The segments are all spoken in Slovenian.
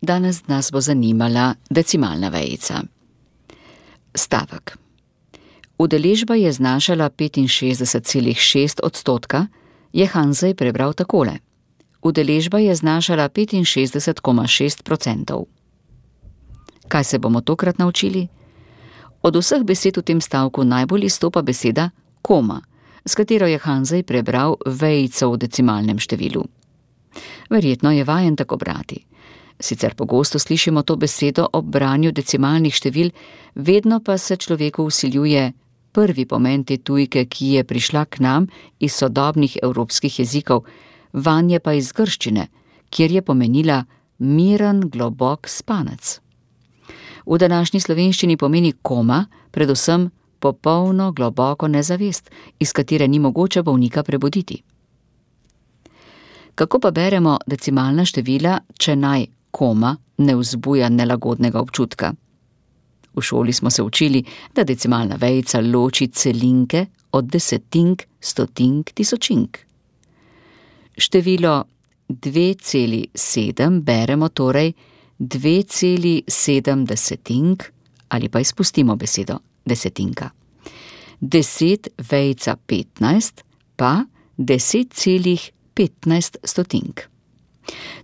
Danes nas bo zanimala decimalna vejica. Stavek. Udeležba je znašala 65,6%, je Hanzej prebral takole. Udeležba je znašala 65,6%. Kaj se bomo tokrat naučili? Od vseh besed v tem stavku najbolj izstopa beseda koma, s katero je Hanzej prebral vejico v decimalnem številu. Verjetno je vajen tako brati. Sicer pogosto slišimo to besedo ob branju decimalnih števil, vedno pa se človeku vsiljuje prvi pomen te tujke, ki je prišla k nam iz sodobnih evropskih jezikov, vanje pa iz grščine, kjer je pomenila miren, globok spanec. V današnji slovenščini pomeni koma predvsem popolno, globoko nezavest, iz katere ni mogoče bolnika prebuditi. Kako pa beremo decimalna števila, če naj koma ne vzbuja nelagodnega občutka? V šoli smo se učili, da decimalna vejica loči celinke od desetink, stotink, tisočink. Število 2,7 beremo torej 2,7 desetink ali pa izpustimo besedo desetinka. 10 vejica 15 pa 10,15 stotink.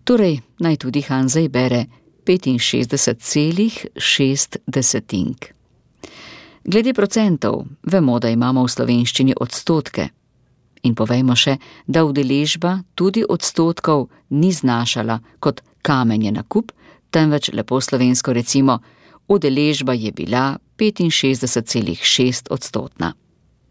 Torej naj tudi Hanzej bere 65,6 desetink. Glede procentov, vemo, da imamo v slovenščini odstotke. In povejmo še, da udeležba tudi odstotkov ni znašala kot kamenje na kup, temveč lepo slovensko recimo, udeležba je bila 65,6 odstotna.